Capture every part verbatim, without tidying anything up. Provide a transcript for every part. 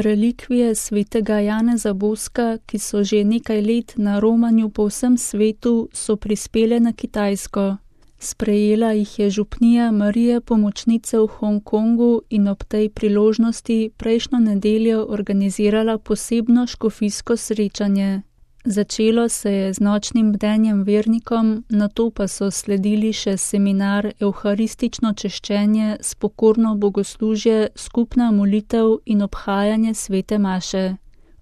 Relikvije svetega Janeza Boska, ki so že nekaj let na romanju po vsem svetu, so prispele na Kitajsko. Sprejela jih je župnija Marije Pomočnice v Hongkongu in ob tej priložnosti prejšnjo nedeljo organizirala posebno škofijsko srečanje. Začelo se je z nočnim bdenjem vernikom, nato pa so sledili še seminar, evharistično češčenje, spokorno bogoslužje, skupna molitev in obhajanje svete maše.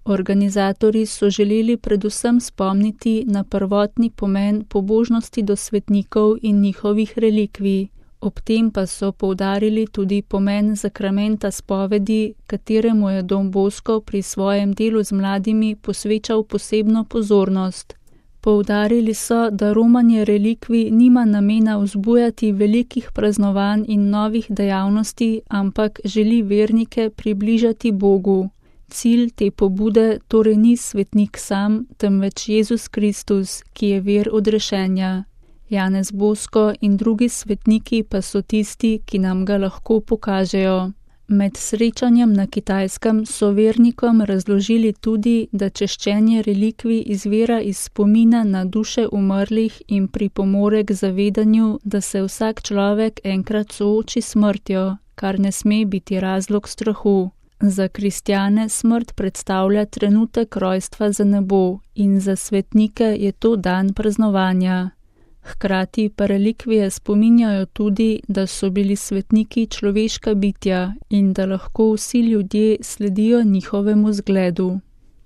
Organizatorji so želeli predvsem spomniti na prvotni pomen pobožnosti do svetnikov in njihovih relikvij. Ob tem pa so poudarili tudi pomen zakramenta spovedi, kateremu je Don Bosco pri svojem delu z mladimi posvečal posebno pozornost. Poudarili so, da romanje relikvij nima namena vzbujati velikih praznovanj in novih dejavnosti, ampak želi vernike približati Bogu. Cilj te pobude torej ni svetnik sam, temveč Jezus Kristus, ki je vir odrešenja. Janez Bosko in drugi svetniki pa so tisti, ki nam ga lahko pokažejo. Med srečanjem na Kitajskem so vernikom razložili tudi, da češčenje relikvij izvira iz spomina na duše umrlih in pripomore k zavedanju, da se vsak človek enkrat sooči s smrtjo, kar ne sme biti razlog strahu. Za kristjane smrt predstavlja trenutek rojstva za nebo in za svetnike je to dan praznovanja. Hkrati pa relikvije spominjajo tudi, da so bili svetniki človeška bitja in da lahko vsi ljudje sledijo njihovemu zgledu.